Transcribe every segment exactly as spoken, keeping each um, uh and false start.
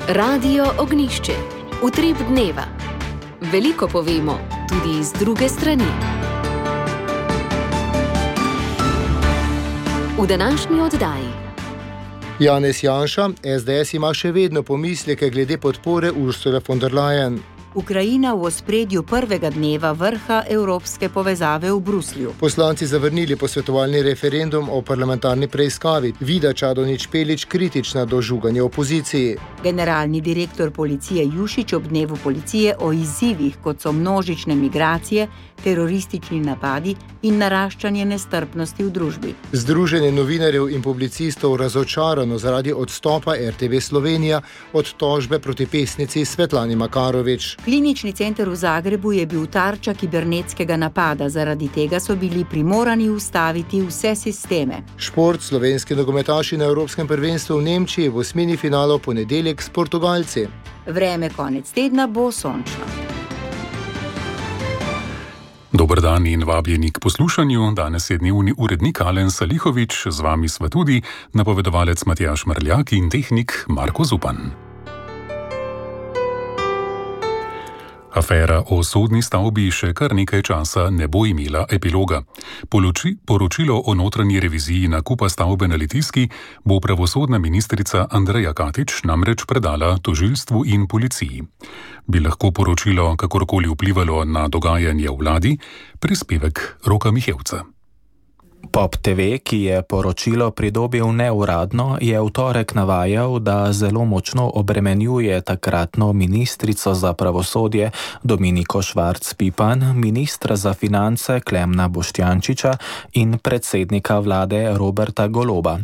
Radio Ognišče, utrip dneva. Veliko povemo, tudi z druge strani. V današnji oddaji. Janez Janša, es de es ima še vedno pomisleke glede podpore Ursule von der Leyen. Ukrajina v ospredju prvega dneva vrha evropske povezave v Bruslju. Poslanci zavrnili posvetovalni referendum o parlamentarni preiskavi. Vida Čadonič Špelič kritična do žuganja opoziciji. Generalni direktor policije Jušić ob dnevu policije o izzivih, kot so množične migracije, teroristični napadi in naraščanje nestrpnosti v družbi. Združenje novinarjev in publicistov razočarano zaradi odstopa er te ve Slovenija od tožbe proti pesnici Svetlani Makarovič. Klinični center v Zagrebu je bil tarča kibernetskega napada, zaradi tega so bili primorani ustaviti vse sisteme. Šport, slovenski nogometaši na Evropskem prvenstvu v Nemčiji v osmini finala v ponedeljek s Portugalci. Vreme konec tedna bo sončno. Dober dan in vabljeni k poslušanju. Danes je dnevni urednik Alen Salihovič, z vami sva tudi napovedovalec Matjaž Mrljak in tehnik Marko Zupan. Afera o sodni stavbi še kar nekaj časa ne bo imela epiloga. Poloči, poročilo o notranji reviziji nakupa stavbe na Litijski bo pravosodna ministrica Andreja Katič namreč predala tožilstvu in policiji. Bi lahko poročilo kakorkoli vplivalo na dogajanje v vladi? Prispevek Roka Mihevca. Pop te ve, ki je poročilo pridobil neuradno, je v torek navajal, da zelo močno obremenjuje takratno ministrico za pravosodje Dominiko Švarc Pipan, ministra za finance Klemna Boštjančiča in predsednika vlade Roberta Goloba.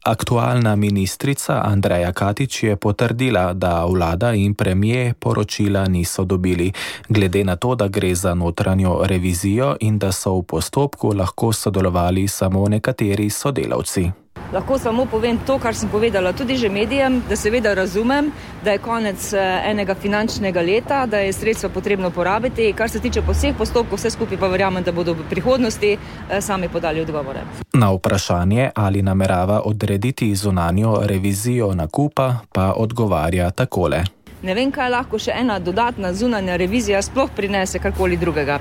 Aktualna ministrica Andreja Katič je potrdila, da vlada in premier poročila niso dobili, glede na to, da gre za notranjo revizijo in da so v postopku lahko sodelovali samo nekateri sodelavci. Lahko samo povem to, kar sem povedala tudi že medijem, da seveda razumem, da je konec enega finančnega leta, da je sredstva potrebno porabiti. Kar se tiče vseh postopkov, vse skupaj pa verjamem, da bodo v prihodnosti sami podali odgovore. Na vprašanje, ali namerava odrediti zunanjo revizijo nakupa, pa odgovarja takole. Ne vem, kaj lahko še ena dodatna zunanja revizija sploh prinese karkoli drugega.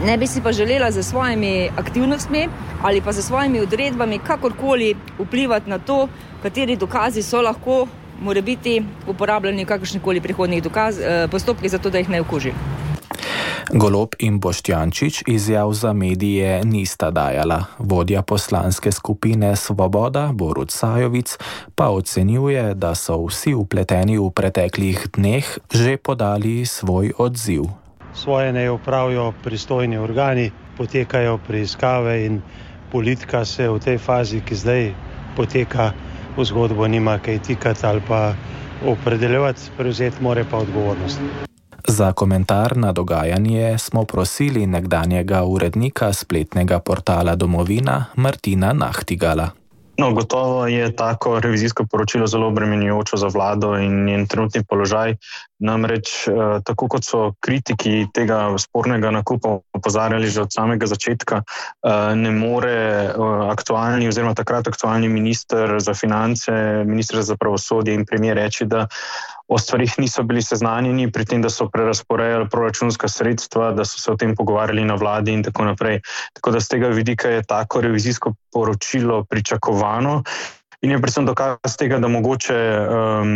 Ne bi si pa želela za svojimi aktivnostmi ali pa za svojimi odredbami kakorkoli vplivati na to, kateri dokazi so lahko morebiti uporabljeni v kakršnikoli prihodnjih dokaz, postopkih, zato da jih ne okuži. Golob in Boštjančič izjav za medije nista dajala. Vodja poslanske skupine Svoboda, Borut Sajovic, pa ocenjuje, da so vsi vpleteni v preteklih dneh že podali svoj odziv. Svoje naj opravijo pristojni organi, potekajo preiskave in politika se v tej fazi, ki zdaj poteka, v zgodbo nima kaj tikati ali pa opredeljevati, prevzeti more pa odgovornost. Za komentar na dogajanje smo prosili nekdanjega urednika spletnega portala Domovina Martina Nahtigala. No, gotovo je tako revizijsko poročilo zelo obremenjujoče za vlado in njen trenutni položaj. Namreč, eh, tako kot so kritiki tega spornega nakupa opozarjali že od samega začetka, eh, ne more eh, aktualni oziroma takrat aktualni minister za finance, minister za pravosodje in premier reči, da o stvarih niso bili seznanjeni, pri tem, da so prerazporejali proračunska sredstva, da so se o tem pogovarjali na vladi in tako naprej. Tako da z tega vidika je tako revizijsko poročilo pričakovano in je predvsem dokaz tega, da mogoče um,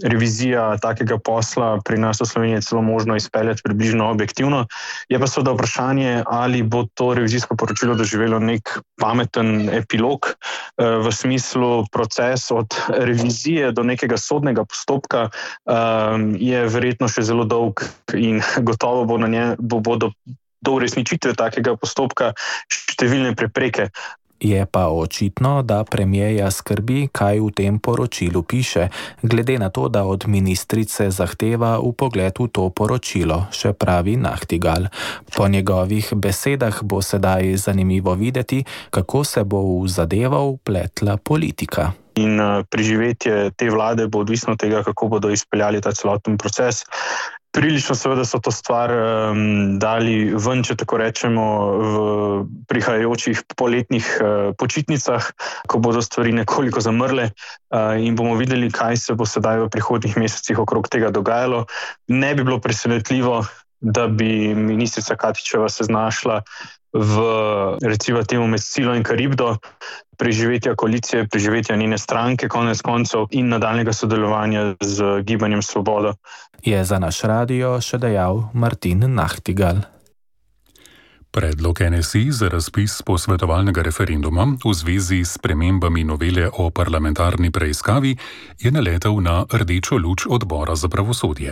revizija takega posla pri nas v Sloveniji celo možno izpeljati približno objektivno. Je pa seveda vprašanje, ali bo to revizijsko poročilo doživelo nek pameten epilog uh, v smislu proces od revizije do nekega sodnega postopka um, je verjetno še zelo dolg in gotovo bo na nje, bo, bodo do uresničitve takega postopka številne prepreke. Je pa očitno, da premierja skrbi, kaj v tem poročilu piše, glede na to, da od ministrice zahteva vpogled v to poročilo, še pravi Nahtigal. Po njegovih besedah bo sedaj zanimivo videti, kako se bo v zadevo vpletla politika. In preživetje te vlade bo odvisno od tega, kako bodo izpeljali ta celoten proces. Prilično seveda so to stvar um, dali ven, če tako rečemo, v prihajajočih poletnih uh, počitnicah, ko bodo stvari nekoliko zamrle uh, in bomo videli, kaj se bo sedaj v prihodnjih mesecih okrog tega dogajalo. Ne bi bilo presenetljivo, da bi ministrica Katičeva se znašla v, recimo temu, med Scilo in Karibdo, preživetja koalicije, preživetja njene stranke, konec koncev, in nadaljnega sodelovanja z Gibanjem Svoboda. Je za naš radio še dejal Martin Nachtigal. Predlog N S I za razpis posvetovalnega referenduma v zvezi s spremembami novele o parlamentarni preiskavi je naletel na rdečo luč odbora za pravosodje.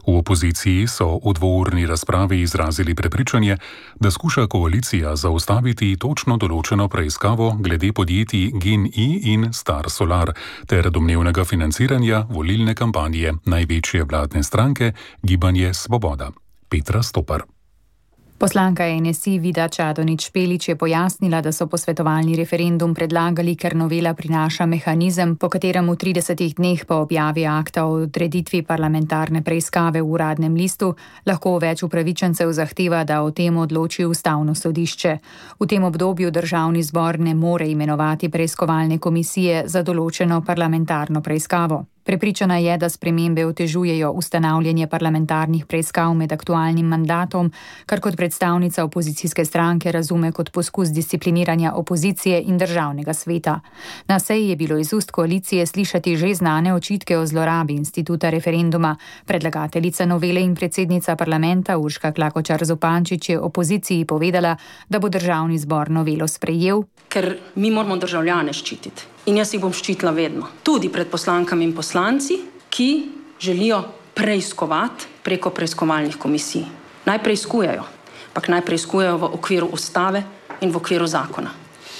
V opoziciji so v dvourni razpravi izrazili prepričanje, da skuša koalicija zaustaviti točno določeno preiskavo glede podjetij GEN-I in Star Solar ter domnevnega financiranja volilne kampanje največje vladne stranke Gibanje Svoboda. Petra Stopar. Poslanka N S I Vida Čadonič Špelič je pojasnila, da so posvetovalni referendum predlagali, ker novela prinaša mehanizem, po katerem v tridesetih dneh po objavi akta o odreditvi parlamentarne preiskave v Uradnem listu lahko več upravičencev zahteva, da o tem odloči Ustavno sodišče. V tem obdobju Državni zbor ne more imenovati preiskovalne komisije za določeno parlamentarno preiskavo. Prepričana je, da spremembe otežujejo ustanavljanje parlamentarnih preiskav med aktualnim mandatom, kar kot predstavnica opozicijske stranke razume kot poskus discipliniranja opozicije in državnega sveta. Na seji je bilo iz ust koalicije slišati že znane očitke o zlorabi instituta referenduma. Predlagateljica novele in predsednica parlamenta Urška Klakočar Zupančič je opoziciji povedala, da bo Državni zbor novelo sprejel. Ker mi moramo državljane ščititi. In jaz jih bom ščitila vedno. Tudi pred poslankami in poslanci, ki želijo preiskovati preko preiskovalnih komisij. Naj preiskujejo, ampak naj preiskujejo v okviru ustave in v okviru zakona.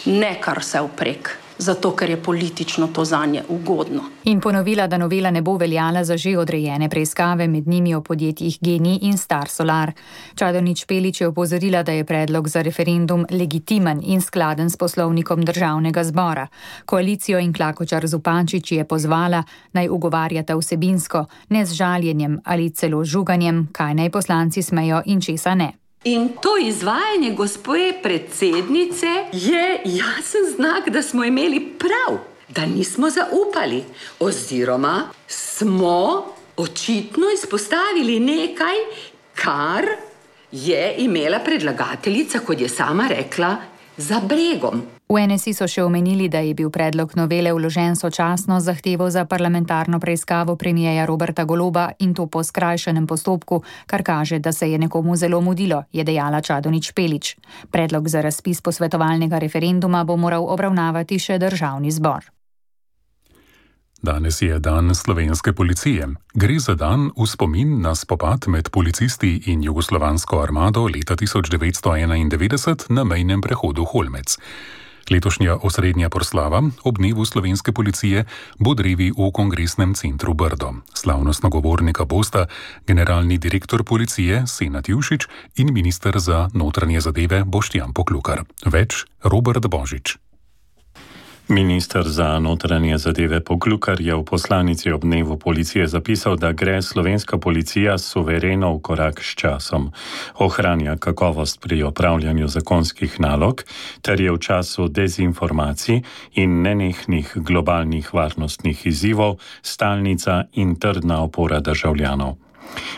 Ne kar vse vprek, zato ker je politično to zanje ugodno. In ponovila, da novela ne bo veljala za že odrejene preiskave, med njimi o podjetjih GEN-I in Star Solar. Čadonič Špelič je opozorila, da je predlog za referendum legitimen in skladen s poslovnikom Državnega zbora. Koalicijo in Klakočar Zupančič je pozvala, naj ugovarjata vsebinsko, ne z žaljenjem ali celo žuganjem, kaj naj poslanci smejo in česa ne. In to izvajanje gospe predsednice je jasen znak, da smo imeli prav, da nismo zaupali, oziroma smo očitno izpostavili nekaj, kar je imela predlagateljica, kot je sama rekla, za bregom. V N S I so še omenili, da je bil predlog novele vložen sočasno z zahtevo za parlamentarno preiskavo premierja Roberta Goloba in to po skrajšanem postopku, kar kaže, da se je nekomu zelo mudilo, je dejala Čadonič Špelič. Predlog za razpis posvetovalnega referenduma bo moral obravnavati še Državni zbor. Danes je dan slovenske policije. Gre za dan v spomin na spopad med policisti in jugoslovansko armado leta tisoč devetsto enaindevetdeset na mejnem prehodu Holmec. Letošnja osrednja proslava ob dnevu slovenske policije bo drevi v Kongresnem centru Brdo. Slavnostna govornika bosta generalni direktor policije Senad Jušić in minister za notranje zadeve Boštjan Poklukar. Več Robert Božič. Minister za notranje zadeve Poklukar je v poslanici ob dnevu policije zapisal, da gre slovenska policija suvereno v korak s časom, ohranja kakovost pri opravljanju zakonskih nalog ter je v času dezinformacij in nenehnih globalnih varnostnih izzivov stalnica in trdna opora državljanov.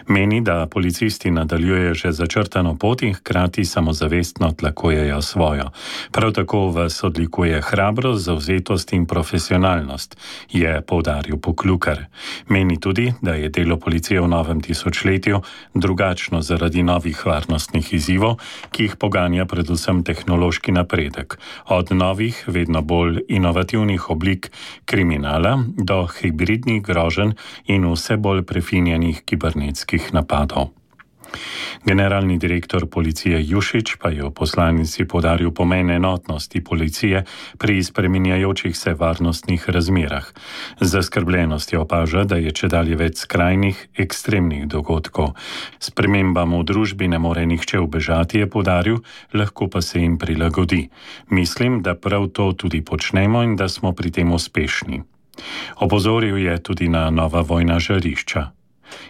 Meni, da policisti nadaljujejo že začrtano pot in hkrati samozavestno tlakujejo svojo. Prav tako vas odlikuje hrabrost, zavzetost in profesionalnost, je poudaril Poklukar. Meni tudi, da je delo policije v novem tisočletju drugačno zaradi novih varnostnih izzivov, ki jih poganja predvsem tehnološki napredek, od novih, vedno bolj inovativnih oblik kriminala do hibridnih groženj in vse bolj prefinjenih kibernetskih napadov. Generalni direktor policije Jušić pa je v poslanici poudaril pomen enotnosti policije pri spreminjajočih se varnostnih razmerah. Zaskrbljenost je opaža, da je čedalje več skrajnih, ekstremnih dogodkov. Spremembam v družbi ne more nihče ubežati, je poudaril, lahko pa se jim prilagodi. Mislim, da prav to tudi počnemo in da smo pri tem uspešni. Opozoril je tudi na nova vojna žarišča.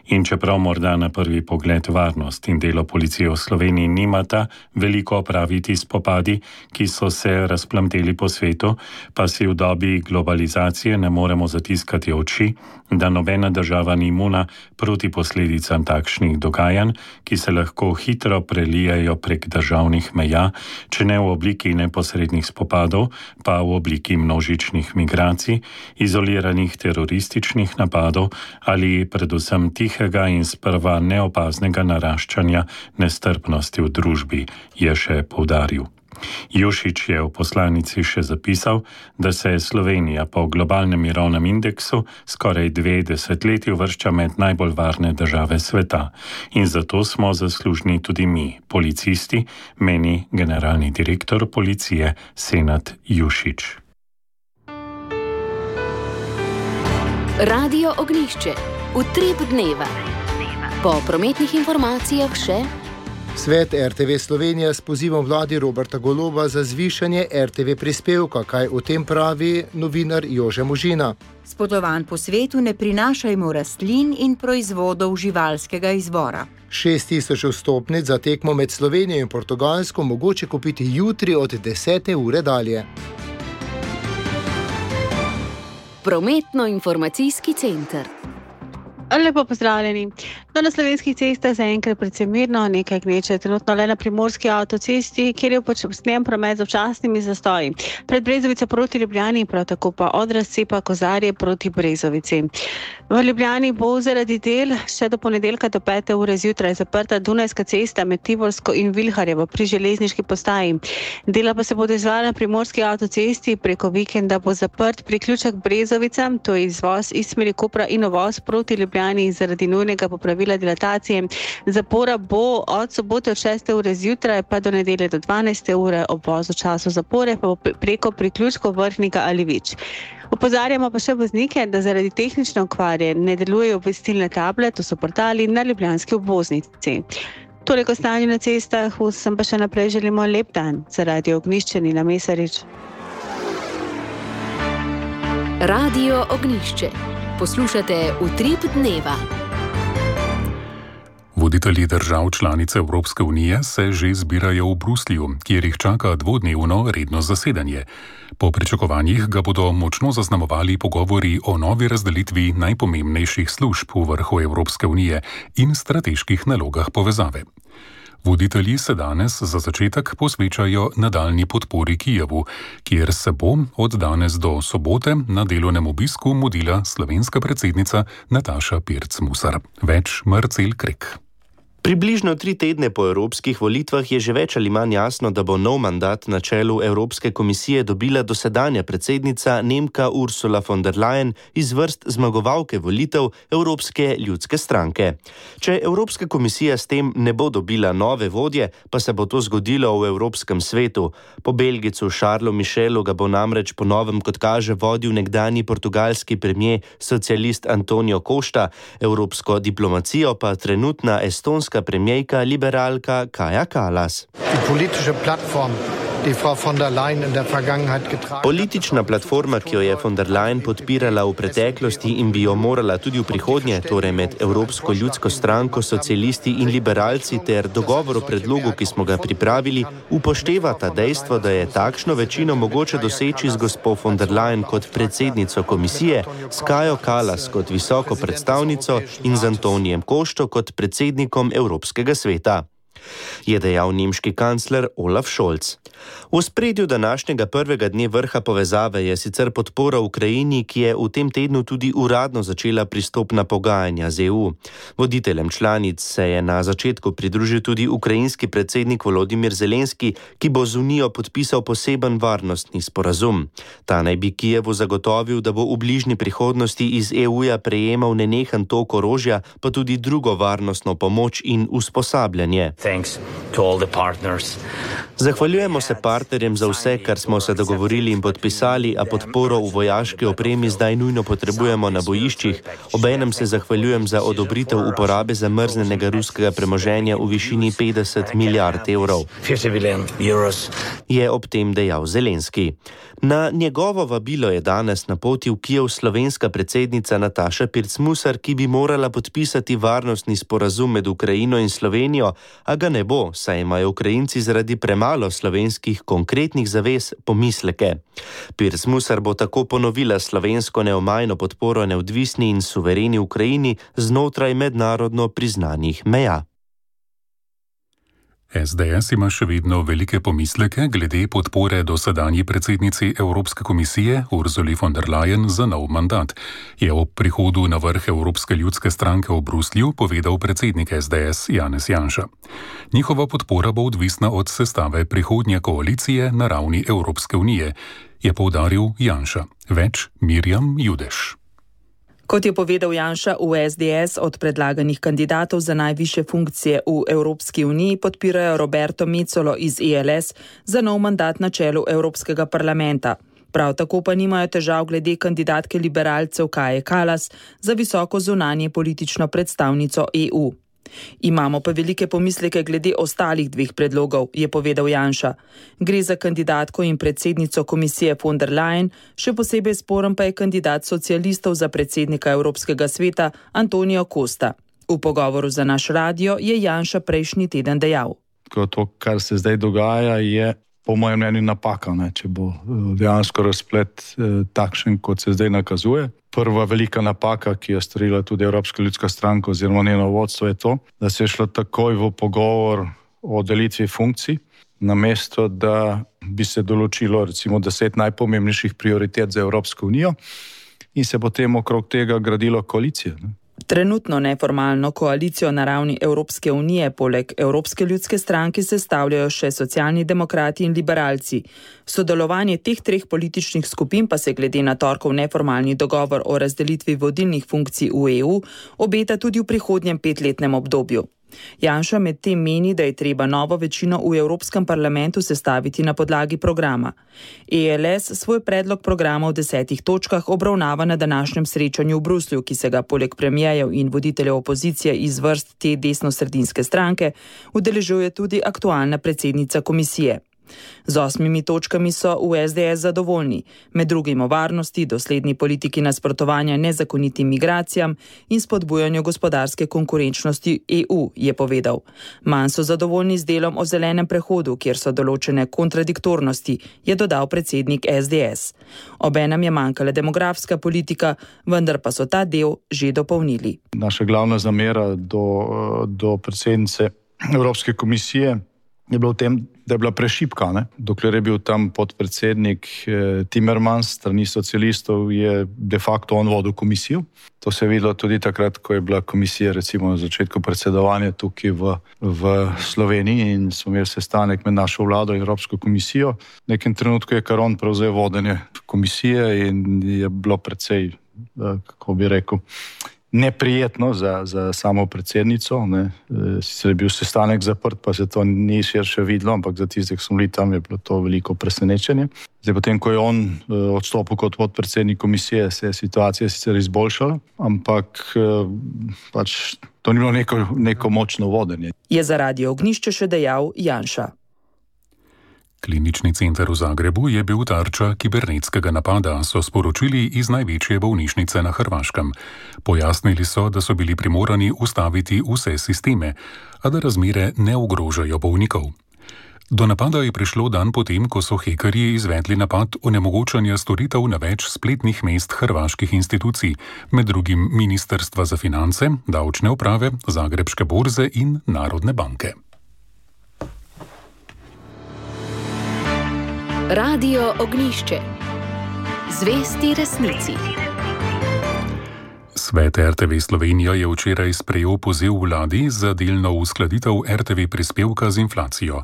In čeprav morda na prvi pogled varnost in delo policije v Sloveniji nimata veliko opraviti s spopadi, ki so se razplamteli po svetu, pa si v dobi globalizacije ne moremo zatiskati oči, da nobena država ni imuna proti posledicam takšnih dogajanj, ki se lahko hitro prelijajo prek državnih meja, če ne v obliki neposrednih spopadov, pa v obliki množičnih migracij, izoliranih terorističnih napadov ali predvsem tihega in sprva neopaznega naraščanja nestrpnosti v družbi, je še poudaril. Jušić je v poslanici še zapisal, da se Slovenija po globalnem mirovnem indeksu skoraj dve desetletji uvršča med najbolj varne države sveta in zato smo zaslužni tudi mi, policisti, meni generalni direktor policije Senad Jušić. Radio Ognjišče, utrip dneva. Po prometnih informacijah še Svet er te ve Slovenija s pozivom vladi Roberta Goloba za zvišanje er te ve prispevka, kaj o tem pravi novinar Jože Možina. S potovanj po svetu ne prinašajmo rastlin in proizvodov živalskega izvora. Šest tisoč vstopnic za tekmo med Slovenijo in Portugalsko mogoče kupiti jutri od desete ure dalje. Prometno-informacijski center. Lepo pozdravljeni. No, na slovenskih cestah zaenkrat predvsem mirno, nekaj gneče trenutno le na primorski avtocesti, kjer je počasnjen promet z občasnimi zastoji. Pred Brezovico proti Ljubljani, prav tako pa od razcepa Kozarje proti Brezovici. V Ljubljani bo zaradi del še do ponedeljka do pete ure zjutraj zaprta Dunajska cesta med Tivolsko in Vilharjevo pri železniški postaji. Dela pa se bodo izvajala na primorski avtocesti, preko vikenda bo zaprt priključek Brezovica, to je izvoz iz smeri Kopra in uvoz proti Ljubljani zaradi nujnega popravila dilatacije. Zapora bo od sobote od šeste ure zjutraj pa do nedelje do dvanajste ure, obvoz v času zapore pa bo preko priključkov Vrhnika ali Vič. Opozarjamo pa še voznike, da zaradi tehnične okvare ne delujejo obvestilne table, to so portali na ljubljanski obvoznici. Toliko stanju na cestah, vsem pa še naprej želimo lep dan. Za Radio Ognjišče Nina Mesarič. Radio Ognjišče. Poslušate Utrip dneva. Voditelji držav članice Evropske unije se že zbirajo v Bruslju, kjer jih čaka dvodnevno redno zasedanje. Po pričakovanjih ga bodo močno zaznamovali pogovori o novi razdelitvi najpomembnejših služb v vrhu Evropske unije in strateških nalogah povezave. Voditelji se danes za začetek posvečajo nadaljnji podpori Kijevu, kjer se bo od danes do sobote na delovnem obisku mudila slovenska predsednica Nataša Pirc Musar. Več Marcel Krek. Približno tri tedne po evropskih volitvah je že več ali manj jasno, da bo nov mandat na čelu Evropske komisije dobila dosedanja predsednica Nemka Ursula von der Leyen iz vrst zmagovalke volitev Evropske ljudske stranke. Če Evropska komisija s tem ne bo dobila nove vodje, pa se bo to zgodilo v Evropskem svetu. Po Belgicu Charlesu Michelu ga bo namreč po novem, kot kaže, vodil nekdanji portugalski premier socialist Antonio Costa, evropsko diplomacijo pa trenutna estonska premijejka liberalka Kaja Kallas. Politična platforma, ki jo je von der Leyen podpirala v preteklosti in bi jo morala tudi v prihodnje, torej med Evropsko ljudsko stranko, socialisti in liberalci ter dogovor o predlogu, ki smo ga pripravili, upoštevata dejstvo, da je takšno večino mogoče doseči z gospo von der Leyen kot predsednico komisije, s Kajo Kallas kot visoko predstavnico in z Antonijem Košto kot predsednikom Evropskega sveta, je dejal nemški kancler Olaf Scholz. V ospredju današnjega prvega dne vrha povezave je sicer podpora Ukrajini, ki je v tem tednu tudi uradno začela pristopna pogajanja z E U. Voditeljem članic se je na začetku pridružil tudi ukrajinski predsednik Volodimir Zelenski, ki bo z Unijo podpisal poseben varnostni sporazum. Ta naj bi Kijevu zagotovil, da bo v bližnji prihodnosti iz E U-ja prejemal nenehen tok orožja, pa tudi drugo varnostno pomoč in usposabljanje. Zahvaljujemo se partnerjem za vse, kar smo se dogovorili in podpisali, a podporo v vojaški opremi zdaj nujno potrebujemo na bojiščih. Obenem se zahvaljujem za odobritev uporabe zamrznenega ruskega premoženja v višini petdeset milijard evrov, je ob tem dejal Zelenski. Na njegovo vabilo je danes na poti v Kijev slovenska predsednica Nataša Pirc-Musar, ki bi morala podpisati varnostni sporazum med Ukrajino in Slovenijo, a ga ne bo, saj imajo Ukrajinci zaradi premalo slovenskih konkretnih zavez pomisleke. Pirc-Musar bo tako ponovila slovensko neomajno podporo neodvisni in suvereni Ukrajini znotraj mednarodno priznanih meja. S D S ima še vedno velike pomisleke glede podpore dosedanji predsednici Evropske komisije Ursuli von der Leyen za nov mandat, je ob prihodu na vrh Evropske ljudske stranke v Bruslju povedal predsednik S D S Janez Janša. Njihova podpora bo odvisna od sestave prihodnje koalicije na ravni Evropske unije, je poudaril Janša. Več Mirjam Judeš. Kot je povedal Janša, v S D S od predlaganih kandidatov za najvišje funkcije v Evropski uniji podpirajo Roberto Mecolo iz E L S za nov mandat na čelu Evropskega parlamenta. Prav tako pa nimajo težav glede kandidatke liberalcev Kaje Kallas za visoko zunanje politično predstavnico E U. Imamo pa velike pomisleke glede ostalih dveh predlogov, je povedal Janša. Gre za kandidatko in predsednico komisije von der Leyen, še posebej sporen pa je kandidat socialistov za predsednika Evropskega sveta Antonio Costa. V pogovoru za naš radio je Janša prejšnji teden dejal. To, kar se zdaj dogaja, je po mojem mnenju napaka, ne, če bo dejansko razplet eh, takšen, kot se zdaj nakazuje. Prva velika napaka, ki je storila tudi Evropska ljudska stranka oziroma njeno vodstvo, je to, da se je šlo takoj v pogovor o delitvi funkcij, namesto da bi se določilo recimo deset najpomembnejših prioritet za Evropsko unijo in se potem okrog tega gradilo koalicijo. Ne. Trenutno neformalno koalicijo na ravni Evropske unije poleg Evropske ljudske stranke sestavljajo še socialni demokrati in liberalci. Sodelovanje teh treh političnih skupin pa se glede na torkov neformalni dogovor o razdelitvi vodilnih funkcij v E U obeta tudi v prihodnjem petletnem obdobju. Janša med tem meni, da je treba novo večino v Evropskem parlamentu sestaviti na podlagi programa. E L S svoj predlog programa v desetih točkah obravnava na današnjem srečanju v Bruslju, ki se ga poleg premijerjev in voditeljev opozicije iz vrst te desnosredinske stranke udeležuje tudi aktualna predsednica komisije. Z osmimi točkami so v S D S zadovoljni, med drugim o varnosti, dosledni politiki nasprotovanja nezakonitim migracijam in spodbujanju gospodarske konkurenčnosti E U, je povedal. Manj so zadovoljni z delom o zelenem prehodu, kjer so določene kontradiktornosti, je dodal predsednik S D S. Obenem je manjkala demografska politika, vendar pa so ta del že dopolnili. Naša glavna zamera do, do predsednice Evropske komisije je bilo v tem, da je bila prešipka. Ne? Dokler je bil tam podpredsednik eh, Timmermans, strani socialistov, je de facto on vodil komisijo. To se je videlo tudi takrat, ko je bila komisija recimo na začetku predsedovanja tukaj v, v Sloveniji in smo imeli sestanek med našo vlado in Evropsko komisijo. V nekem trenutku je kar on prevzel vodenje komisije in je bilo precej, kako bi rekel, neprijetno za, za samo predsednico. Ne. Sicer je bil sestanek zaprt, pa se to ni širše videlo, ampak za tiste, ki so bili tam, je bilo to veliko presenečenje. Zdaj, potem, ko je on odstopil kot podpredsednik komisije, se je situacija sicer izboljšala, ampak pač to ni bilo neko, neko močno vodenje. Je za Radio Ognišče še dejal Janša. Klinični center v Zagrebu je bil tarča kibernetskega napada, so sporočili iz največje bolnišnice na Hrvaškem. Pojasnili so, da so bili primorani ustaviti vse sisteme, a da razmere ne ogrožajo bolnikov. Do napada je prišlo dan potem, ko so hekerji izvedli napad onemogočanja storitev na več spletnih mest hrvaških institucij, med drugim Ministrstva za finance, davčne uprave, Zagrebške borze in Narodne banke. Radio Ognišče. Zvesti resnici. Svet R T V Slovenija je včeraj sprejel poziv vladi za delno uskladitev R T V prispevka z inflacijo.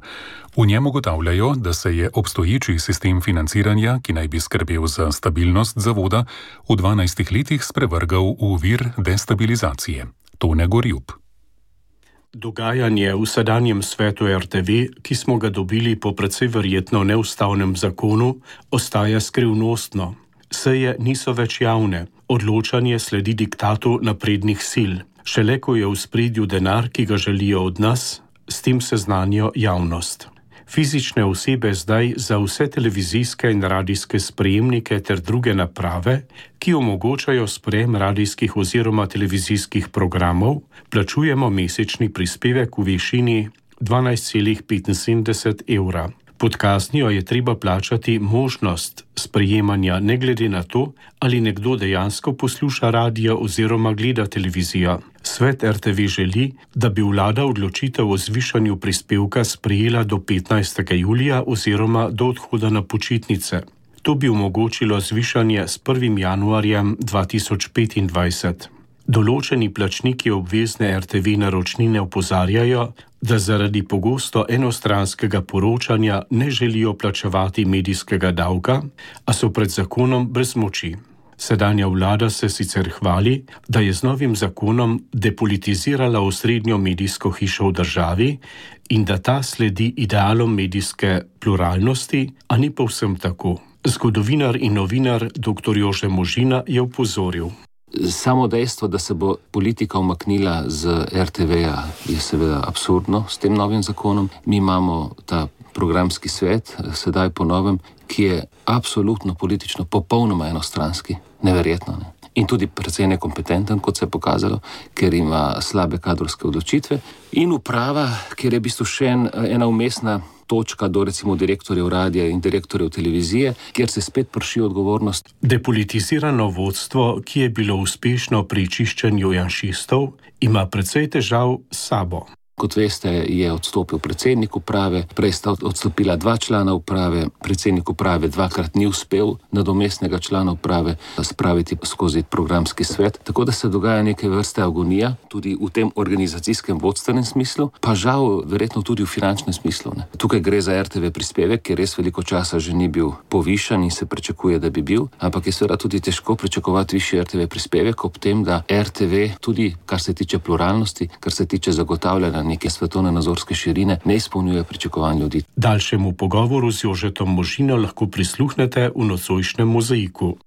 V njem ugotavljajo, da se je obstoječi sistem financiranja, ki naj bi skrbel za stabilnost zavoda, v dvanajstih letih sprevrgal v vir destabilizacije. Tone Gorjup. Dogajanje v sedanjem svetu er te ve, ki smo ga dobili po precej verjetno neustavnem zakonu, ostaja skrivnostno. Seje niso več javne, odločanje sledi diktatu naprednih sil. Šele ko je v spredju denar, ki ga želijo od nas, s tem seznanijo javnost. Fizične osebe zdaj za vse televizijske in radijske sprejemnike ter druge naprave, ki omogočajo sprejem radijskih oziroma televizijskih programov, plačujemo mesečni prispevek v višini dvanajst celih petinsedemdeset evra. Pod kaznijo je treba plačati možnost sprejemanja ne glede na to, ali nekdo dejansko posluša radio oziroma gleda televizijo. Svet er te ve želi, da bi vlada odločitev o zvišanju prispevka sprejela do petnajstega julija oziroma do odhoda na počitnice. To bi omogočilo zvišanje s prvim januarjem dva tisoč petindvajset. Določeni plačniki obvezne er te ve naročnine opozarjajo, da zaradi pogosto enostranskega poročanja ne želijo plačevati medijskega davka, a so pred zakonom brez moči. Sedanja vlada se sicer hvali, da je z novim zakonom depolitizirala osrednjo medijsko hišo v državi in da ta sledi idealom medijske pluralnosti, a ni povsem tako. Zgodovinar in novinar doktor Jože Možina je opozoril. Samo dejstvo, da se bo politika umaknila z er te veja, je seveda absurdno s tem novim zakonom. Mi imamo ta programski svet, sedaj po novem, ki je absolutno politično popolnoma enostranski, neverjetno. Ne? In tudi precej nekompetenten, kot se je pokazalo, ker ima slabe kadrovske odločitve. In uprava, kjer je v bistvu še en, ena umestna točka do recimo direktorjev radija in direktorjev televizije, kjer se spet prši odgovornost. Depolitizirano vodstvo, ki je bilo uspešno pri čiščenju janšistov, ima precej težav s sabo. Kot veste, je odstopil predsednik uprave, prej sta odstopila dva člana uprave, predsednik uprave dvakrat ni uspel nadomestnega člana uprave spraviti skozi programski svet, tako da se dogaja neke vrste agonija, tudi v tem organizacijskem vodstvenem smislu, pa žal verjetno tudi v finančnem smislu. Ne. Tukaj gre za er te ve prispevek, ki res veliko časa že ni bil povišan in se pričakuje, da bi bil, ampak je seveda tudi težko pričakovati višji er te ve prispevek ob tem, da er te ve tudi, kar se tiče pluralnosti, kar se tiče zagotavljanja neke svetovne nazorske širine, ne izpolnjuje pričakovanj ljudi. Daljšemu pogovoru z Jožetom Možino lahko prisluhnete v nocojšnjem mozaiku.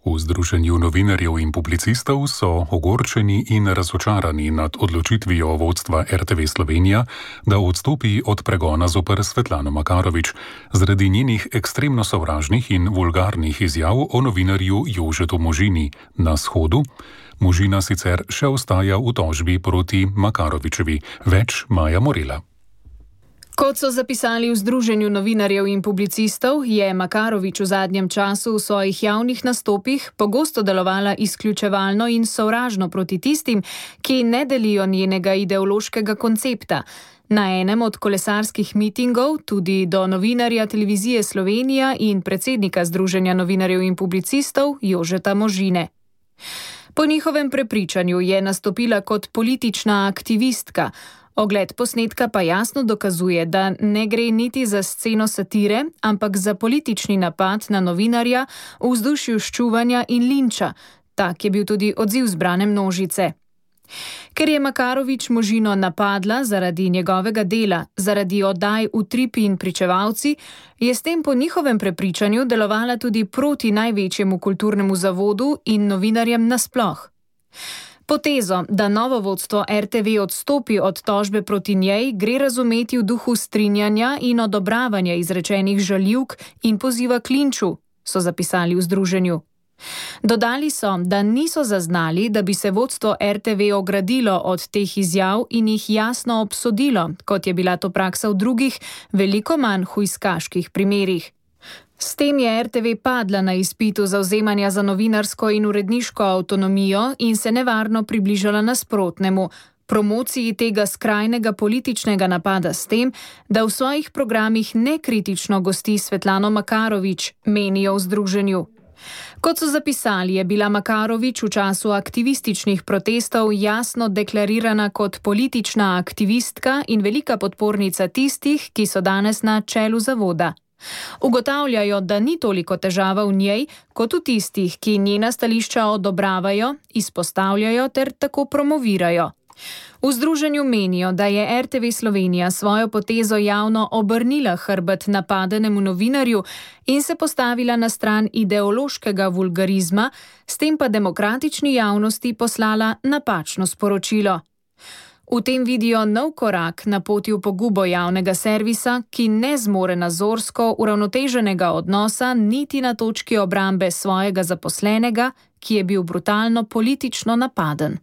V Združenju novinarjev in publicistov so ogorčeni in razočarani nad odločitvijo vodstva er te ve Slovenija, da odstopi od pregona zoper Svetlano Makarovič zaradi njenih ekstremno sovražnih in vulgarnih izjav o novinarju Jožetu Možini na shodu. Možina sicer še ostaja v tožbi proti Makarovičevi, več Maja Morela. Kot so zapisali v Združenju novinarjev in publicistov, je Makarovič v zadnjem času v svojih javnih nastopih pogosto delovala izključevalno in sovražno proti tistim, ki ne delijo njenega ideološkega koncepta. Na enem od kolesarskih mitingov tudi do novinarja Televizije Slovenija in predsednika Združenja novinarjev in publicistov Jožeta Možine. Po njihovem prepričanju je nastopila kot politična aktivistka. Ogled posnetka pa jasno dokazuje, da ne gre niti za sceno satire, ampak za politični napad na novinarja v vzdušju ščuvanja in linča. Tak je bil tudi odziv zbrane množice. Ker je Makarovič Možino napadla zaradi njegovega dela, zaradi oddaj Utripi in Pričevalci, je s tem po njihovem prepričanju delovala tudi proti največjemu kulturnemu zavodu in novinarjem nasploh. Potezo, da novo vodstvo er te ve odstopi od tožbe proti njej, gre razumeti v duhu strinjanja in odobravanja izrečenih žaljivk in poziva k linču, so zapisali v združenju. Dodali so, da niso zaznali, da bi se vodstvo er te ve ogradilo od teh izjav in jih jasno obsodilo, kot je bila to praksa v drugih, veliko manj hujskaških primerih. S tem je er te ve padla na izpitu zavzemanja za novinarsko in uredniško avtonomijo in se nevarno približala nasprotnemu, promociji tega skrajnega političnega napada s tem, da v svojih programih nekritično gosti Svetlano Makarovič, menijo v združenju. Kot so zapisali, je bila Makarovič v času aktivističnih protestov jasno deklarirana kot politična aktivistka in velika podpornica tistih, ki so danes na čelu zavoda. Ugotavljajo, da ni toliko težava v njej, kot v tistih, ki njena stališča odobravajo, izpostavljajo ter tako promovirajo. V združenju menijo, da je R T V Slovenija svojo potezo javno obrnila hrbet napadenemu novinarju in se postavila na stran ideološkega vulgarizma, s tem pa demokratični javnosti poslala napačno sporočilo. V tem vidijo nov korak na poti v pogubo javnega servisa, ki ne zmore nazorsko uravnoteženega odnosa niti na točki obrambe svojega zaposlenega, ki je bil brutalno politično napaden.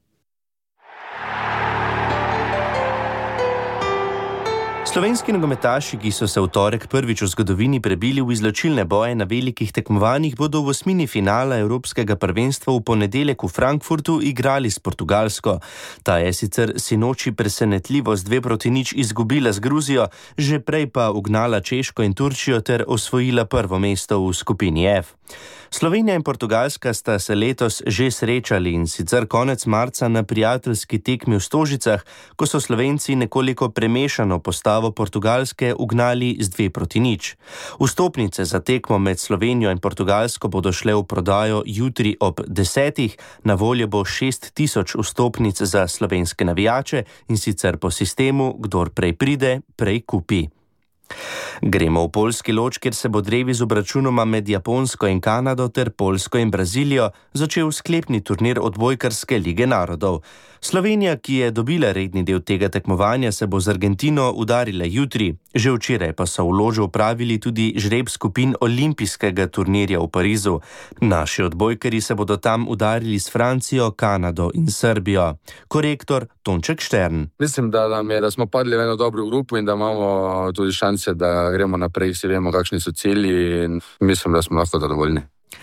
Slovenski nogometaši, ki so se v torek prvič v zgodovini prebili v izločilne boje na velikih tekmovanjih, bodo v osmini finala Evropskega prvenstva v ponedeljek v Frankfurtu igrali s Portugalsko. Ta je sicer sinoči presenetljivo z dve proti nič izgubila z Gruzijo, že prej pa ugnala Češko in Turčijo ter osvojila prvo mesto v skupini F. Slovenija in Portugalska sta se letos že srečali in sicer konec marca na prijateljski tekmi v Stožicah, ko so Slovenci nekoliko premešano postavo Portugalske ugnali z dve proti nič. Vstopnice za tekmo med Slovenijo in Portugalsko bodo šle v prodajo jutri ob desetih, na voljo bo šest tisoč vstopnic za slovenske navijače in sicer po sistemu, kdor prej pride, prej kupi. Gremo v poljski Loč, kjer se bo drevi z obračunoma med Japonsko in Kanado ter Poljsko in Brazilijo začel sklepni turnir odbojkarske lige narodov. Slovenija, ki je dobila redni del tega tekmovanja, se bo z Argentino udarila jutri. Že včeraj pa so v Ložu opravili tudi žreb skupin olimpijskega turnirja v Parizu. Naši odbojkarji se bodo tam udarili s Francijo, Kanado in Srbijo. Korektor Tonček Štern. Mislim, da, nam je, da smo padli v eno dobro grupo in da imamo tudi šanse, da gremo naprej, vsi vemo, kakšni so cilji in mislim, da smo lahko zadovoljni.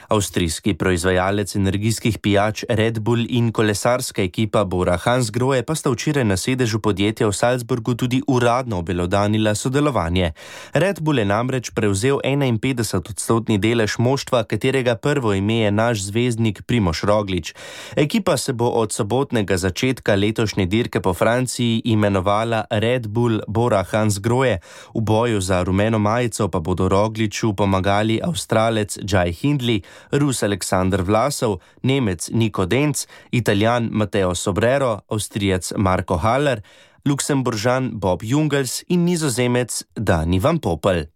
Avstrijski proizvajalec energijskih pijač Red Bull in kolesarska ekipa Bora Hansgrohe pa sta včeraj na sedežu podjetja v Salzburgu tudi uradno obelodanila sodelovanje. Red Bull je namreč prevzel enainpetdeset odstotni delež moštva, katerega prvo ime je naš zvezdnik Primož Roglič. Ekipa se bo od sobotnega začetka letošnje dirke po Franciji imenovala Red Bull Bora Hansgrohe. V boju za rumeno majico pa bodo Rogliču pomagali Avstralec Jai Hindley, Rus Aleksandar Vlasov, Nemec Niko Denc, Italijan Matteo Sobrero, Avstrijec Marko Haller, Luksemburžan Bob Jungels in Nizozemec Dani Van Poppel.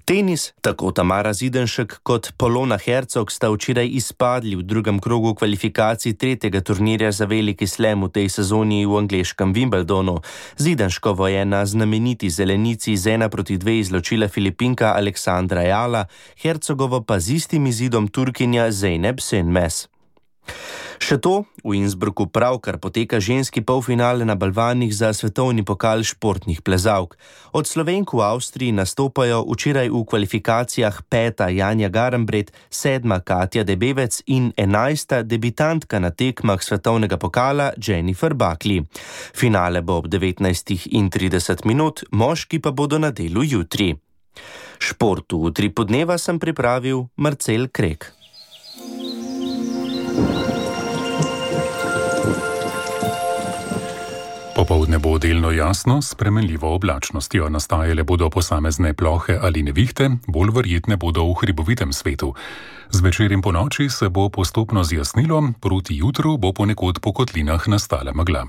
Tenis, tako Tamara Zidenšek kot Polona Hercog sta včeraj izpadli v drugem krogu kvalifikacij tretjega turnirja za veliki slam v tej sezoni v angleškem Wimbledonu. Zidenškovo je na znameniti zelenici z ena proti dve izločila Filipinka Aleksandra Jala, Hercogovo pa z istim izidom Turkinja Zeynep Senmes. Še to, v Innsbrucku pravkar poteka ženski polfinale na balvanih za svetovni pokal športnih plezalk. Od Slovenk v Avstriji nastopajo včeraj v kvalifikacijah peta Janja Garambret, sedma Katja Debevec in enajsta debitantka na tekmah svetovnega pokala Jennifer Buckley. Finale bo ob devetnajstih trideset minut, moški pa bodo na delu jutri. Športu v tri podneva sem pripravil Marcel Krek. Popoldne bo delno jasno, s spremenljivo oblačnostjo. Nastajale bodo posamezne plohe ali nevihte, bolj verjetne bodo v hribovitem svetu. Zvečer in ponoči se bo postopno zjasnilo, proti jutru bo ponekod po kotlinah nastala megla.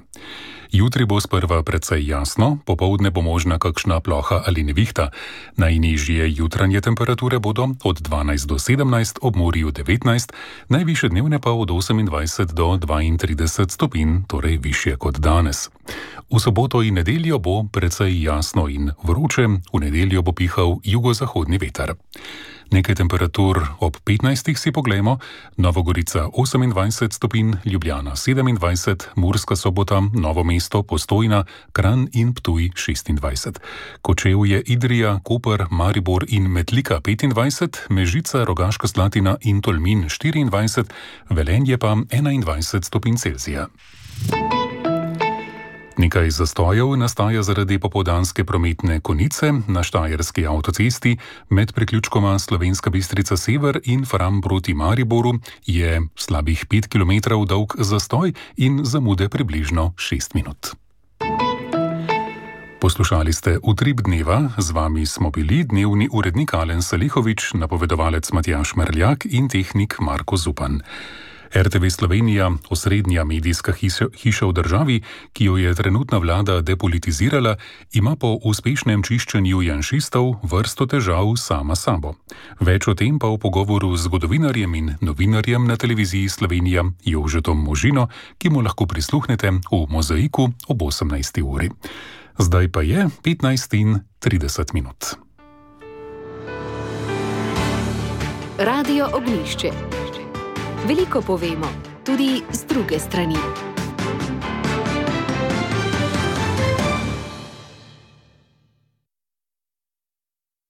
Jutri bo sprva precej jasno, popoldne bo možna kakšna ploha ali nevihta. Najnižje jutranje temperature bodo od dvanajst do sedemnajst, ob morju devetnajst, najvišje dnevne pa od osemindvajset do dvaintrideset stopinj, torej višje kot danes. V soboto in nedeljo bo precej jasno in vroče, v nedeljo bo pihal jugozahodni veter. Nekaj temperatur ob petnajstih si poglejmo: Nova Gorica osemindvajset stopinj, Ljubljana sedemindvajset, Murska Sobota, Novo mesto, Postojna, Kranj in Ptuj šestindvajset. Kočevje, Idrija, Koper, Maribor in Metlika petindvajset, Mežica, Rogaška Slatina in Tolmin štiriindvajset, Velenje pa enaindvajset stopinj Celzija. Nekaj zastojev nastaja zaradi popoldanske prometne konice na Štajerski avtocesti med priključkoma Slovenska Bistrica Sever in Fram proti Mariboru je slabih pet kilometrov dolg zastoj in zamude približno šest minut. Poslušali ste Utrip dneva, z vami smo bili dnevni urednik Alen Salihovič, napovedovalec Matjaž Merljak in tehnik Marko Zupan. R T V Slovenija, osrednja medijska hiša v državi, ki jo je trenutna vlada depolitizirala, ima po uspešnem čiščenju janšistov vrsto težav sama sabo. Več o tem pa v pogovoru z zgodovinarjem in novinarjem na televiziji Slovenija Jožetom Možino, ki mu lahko prisluhnete v Mozaiku ob osemnajsti uri. Zdaj pa je petnajst in trideset minut. Radio Ognjišče. Veliko povemo, tudi z druge strani.